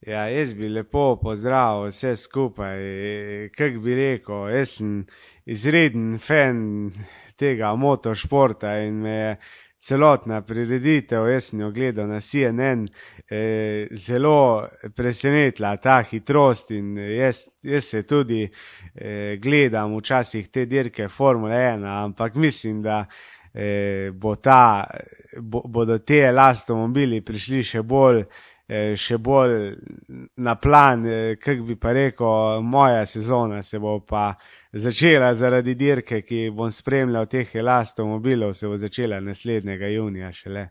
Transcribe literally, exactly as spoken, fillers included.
Ja, jaz bi lepo pozdravil vse skupaj. Kak bi rekel, jaz sem izreden fan tega motošporta in me je celotna prireditev, jaz sem jo gledal na C N N, eh, zelo presenetila ta hitrost in jaz, jaz se tudi eh, gledam včasih te dirke Formule ena, ampak mislim, da eh, bo ta, bo, bodo te elastomobili prišli še bolj še bolj na plan, kak bi pa rekel, moja sezona se bo pa začela zaradi dirke, ki bom spremljal teh elastomobilov, se bo začela naslednjega junija šele.